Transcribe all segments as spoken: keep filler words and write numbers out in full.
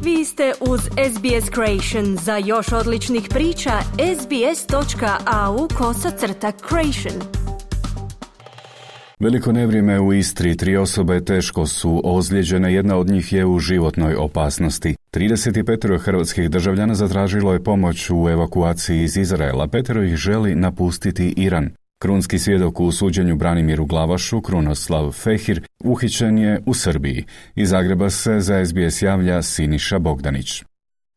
Vi ste uz S B S Creation. Za još odličnih priča, sbs.au kosacrta creation. Veliko nevrijeme u Istri, tri osobe teško su ozlijeđene, jedna od njih je u životnoj opasnosti. trideset pet hrvatskih državljana zatražilo je pomoć u evakuaciji iz Izraela, petero ih želi napustiti Iran. Krunski svjedok u suđenju Branimiru Glavašu, Krunoslav Fehir, uhićen je u Srbiji. Iz Zagreba se za S B S javlja Siniša Bogdanić.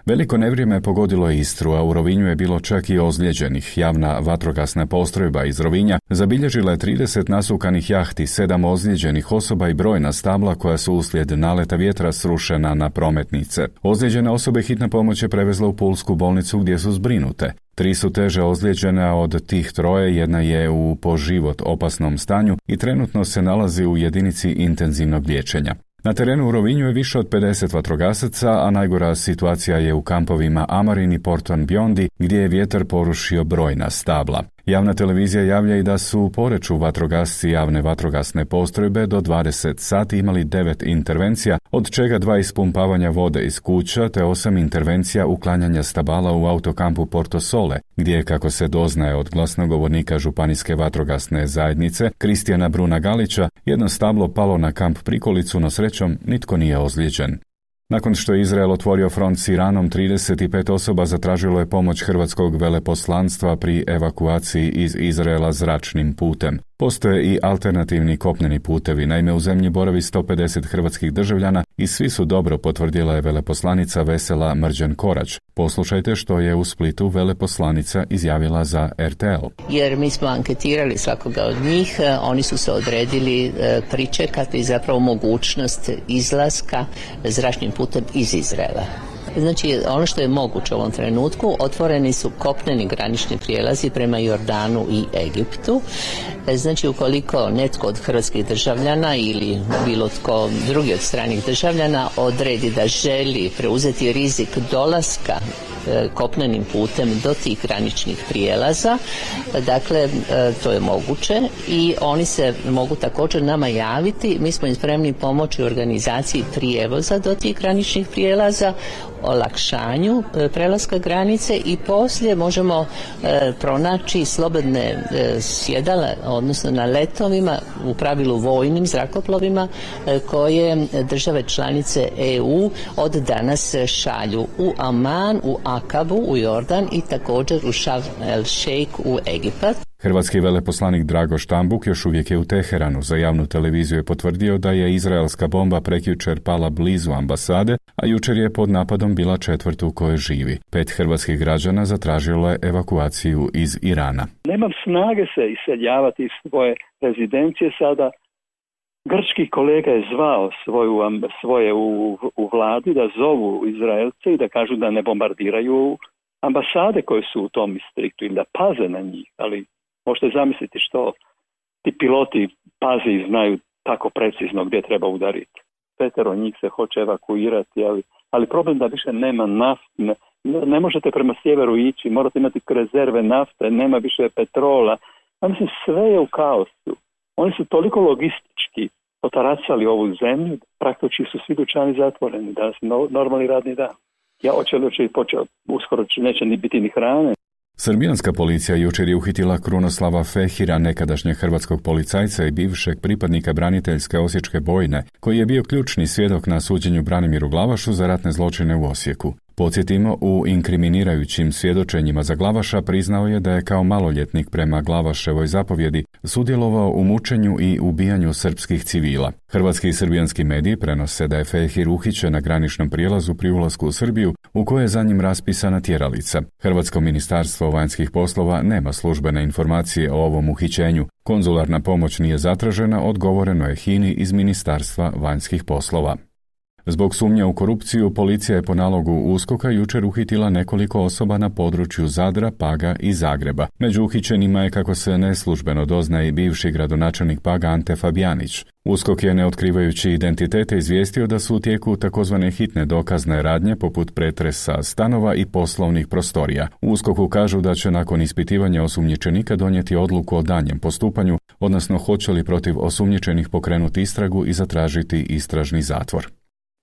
Veliko nevrijeme pogodilo je Istru, a u Rovinju je bilo čak i ozlijeđenih. Javna vatrogasna postrojba iz Rovinja zabilježila je trideset nasukanih jahti, sedam ozlijeđenih osoba i brojna stabla koja su uslijed naleta vjetra srušena na prometnice. Ozlijeđene osobe hitna pomoć je prevezla u pulsku bolnicu gdje su zbrinute. Tri su teže ozlijeđene, a od tih troje jedna je u po život opasnom stanju i trenutno se nalazi u jedinici intenzivnog liječenja. Na terenu u Rovinju je više od pedeset vatrogasaca, a najgora situacija je u kampovima Amarin i Porton Biondi, gdje je vjetar porušio brojna stabla. Javna televizija javlja i da su u Poreču vatrogasci javne vatrogasne postrojbe do dvadeset sati imali devet intervencija, od čega dva ispumpavanja vode iz kuća te osam intervencija uklanjanja stabala u autokampu Porto Sole, gdje je, kako se doznaje od glasnogovornika Županijske vatrogasne zajednice Kristijana Bruna Galića, jedno stablo palo na kamp Prikolicu, no srećom nitko nije ozlijeđen. Nakon što je Izrael otvorio front s Iranom, trideset pet osoba zatražilo je pomoć hrvatskog veleposlanstva pri evakuaciji iz Izraela zračnim putem. Postoje i alternativni kopneni putevi, naime u zemlji boravi sto pedeset hrvatskih državljana i svi su dobro, potvrdila je veleposlanica Vesela Mrđan Korać. Poslušajte što je u Splitu veleposlanica izjavila za R T L. Jer mi smo anketirali svakoga od njih, oni su se odredili pričekati zapravo mogućnost izlaska zračnim putem iz Izraela. Znači, ono što je moguće u ovom trenutku, otvoreni su kopneni granični prijelazi prema Jordanu i Egiptu. Znači, ukoliko netko od hrvatskih državljana ili bilo tko drugi od stranih državljana odredi da želi preuzeti rizik dolaska kopnenim putem do tih graničnih prijelaza, dakle, to je moguće i oni se mogu također nama javiti. Mi smo im spremni pomoći u organizaciji prijevoza do tih graničnih prijelaza, olakšanju prelaska granice i poslije možemo e, pronaći slobodne e, sjedala, odnosno na letovima, u pravilu vojnim zrakoplovima e, koje države članice E U od danas šalju u Aman, u Akabu, u Jordan i također u Šarm el Šejk u Egipat. Hrvatski veleposlanik Drago Štambuk još uvijek je u Teheranu. Za javnu televiziju je potvrdio da je izraelska bomba prekjučer pala blizu ambasade, a jučer je pod napadom bila četvrt u kojoj živi. Pet hrvatskih građana zatražilo je evakuaciju iz Irana. Nemam snage se iseljavati iz svoje rezidencije sada. Grčki kolega je zvao svoju, svoje u, u vladi da zovu Izraelce i da kažu da ne bombardiraju ambasade koje su u tom distriktu ili da paze na njih, ali možete zamisliti što ti piloti paze i znaju tako precizno gdje treba udariti. Petero njih se hoće evakuirati, ali, ali problem da više nema nafte, ne, ne možete prema sjeveru ići, morate imati rezerve nafte, nema više petrola. A mislim, sve je u kaosu. Oni su toliko logistički potaracali ovu zemlju, praktički su svi dućani zatvoreni, danas no, normalni radni dan. Ja očelo će i počeo, uskoro neće ni biti ni hrane. Srbijanska policija jučer je uhitila Krunoslava Fehira, nekadašnjeg hrvatskog policajca i bivšeg pripadnika braniteljske osječke bojne, koji je bio ključni svjedok na suđenju Branimiru Glavašu za ratne zločine u Osijeku. Podsjetimo, u inkriminirajućim svjedočenjima za Glavaša priznao je da je kao maloljetnik prema Glavaševoj zapovjedi sudjelovao u mučenju i ubijanju srpskih civila. Hrvatski i srbijanski mediji prenose da je Fehir uhićen na graničnom prijelazu pri ulasku u Srbiju, u kojoj je za njim raspisana tjeralica. Hrvatsko ministarstvo vanjskih poslova nema službene informacije o ovom uhićenju. Konzularna pomoć nije zatražena, odgovoreno je Hini iz Ministarstva vanjskih poslova. Zbog sumnja u korupciju, policija je po nalogu USKOK-a jučer uhitila nekoliko osoba na području Zadra, Paga i Zagreba. Među uhićenima je, kako se neslužbeno doznaje, i bivši gradonačelnik Paga Ante Fabijanić. USKOK je, ne otkrivajući identitete, izvijestio da su u tijeku takozvane hitne dokazne radnje poput pretresa stanova i poslovnih prostorija. U USKOK-u kažu da će nakon ispitivanja osumnjičenika donijeti odluku o daljnjem postupanju, odnosno hoće li protiv osumnjičenih pokrenuti istragu i zatražiti istražni zatvor.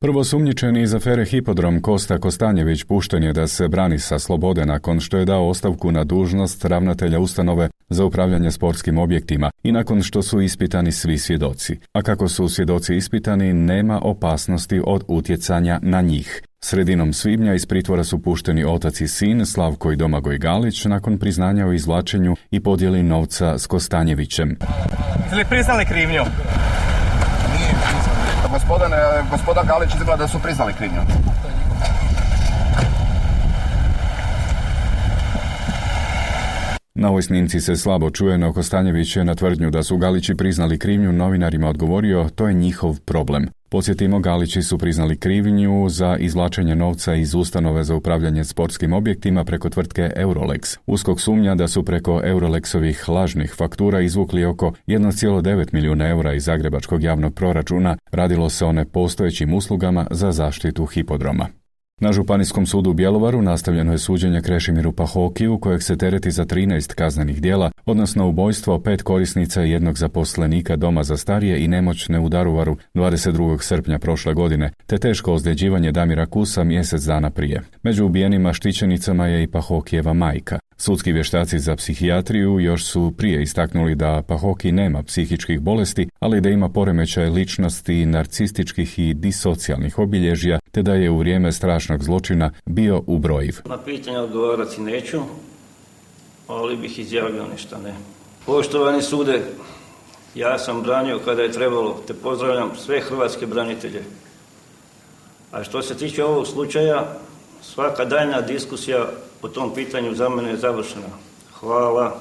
Prvosumnjičeni iz afere Hipodrom Kosta Kostanjević pušten je da se brani sa slobode nakon što je dao ostavku na dužnost ravnatelja ustanove za upravljanje sportskim objektima i nakon što su ispitani svi svjedoci. A kako su svjedoci ispitani, nema opasnosti od utjecanja na njih. Sredinom svibnja iz pritvora su pušteni otac i sin Slavko i Domagoj Galić nakon priznanja o izvlačenju i podjeli novca s Kostanjevićem. Jeste li priznali krivnju? Gospodine, gospoda Galić izgleda da su priznali krivnju. Na ovoj snimci se slabo čuje, no Kostanjević je na tvrdnju da su Galići priznali krivnju novinarima odgovorio, to je njihov problem. Podsjetimo, Galići su priznali krivnju za izvlačenje novca iz ustanove za upravljanje sportskim objektima preko tvrtke Eurolex. USKOK sumnja da su preko Eurolexovih lažnih faktura izvukli oko jedan zarez devet milijuna eura iz zagrebačkog javnog proračuna. Radilo se o nepostojećim uslugama za zaštitu hipodroma. Na Županijskom sudu u Bjelovaru nastavljeno je suđenje Krešimiru Pahokiju, kojeg se tereti za trinaest kaznenih djela, odnosno ubojstvo pet korisnica i jednog zaposlenika doma za starije i nemoćne u Daruvaru dvadeset drugog srpnja prošle godine, te teško ozljeđivanje Damira Kusa mjesec dana prije. Među ubijenima štićenicama je i Pahokijeva majka. Sudski vještaci za psihijatriju još su prije istaknuli da Pahoki nema psihičkih bolesti, ali da ima poremećaj ličnosti, narcističkih i disocijalnih obilježja, te da je u vrijeme strašnog zločina bio ubrojiv. Na pitanje odgovarati neću, ali bih izjavio ništa ne. Poštovani sude, ja sam branio kada je trebalo, te pozdravljam sve hrvatske branitelje. A što se tiče ovog slučaja, svaka daljna diskusija po tom pitanju za mene je završena. Hvala.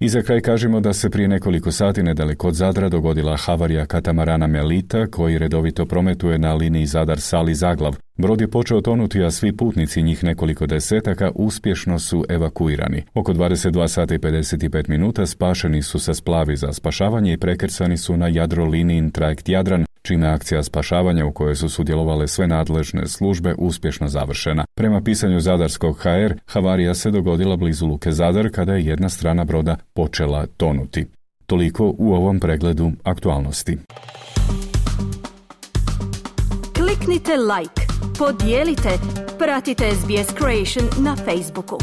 I za kraj kažemo da se prije nekoliko sati nedaleko od Zadra dogodila havarija katamarana Melita, koji redovito prometuje na liniji Zadar-Sali-Zaglav. Brod je počeo tonuti, a svi putnici, njih nekoliko desetaka, uspješno su evakuirani. Oko dvadeset dva sata i pedeset pet minuta spašeni su sa splavi za spašavanje i prekrcani su na Jadrolinijin trajekt Jadran, čime akcija spašavanja u kojoj su sudjelovale sve nadležne službe uspješno završena. Prema pisanju Zadarskog ha er, havarija se dogodila blizu luke Zadar kada je jedna strana broda počela tonuti. Toliko u ovom pregledu aktualnosti. Kliknite like, podijelite, pratite es be es Creation na Facebooku.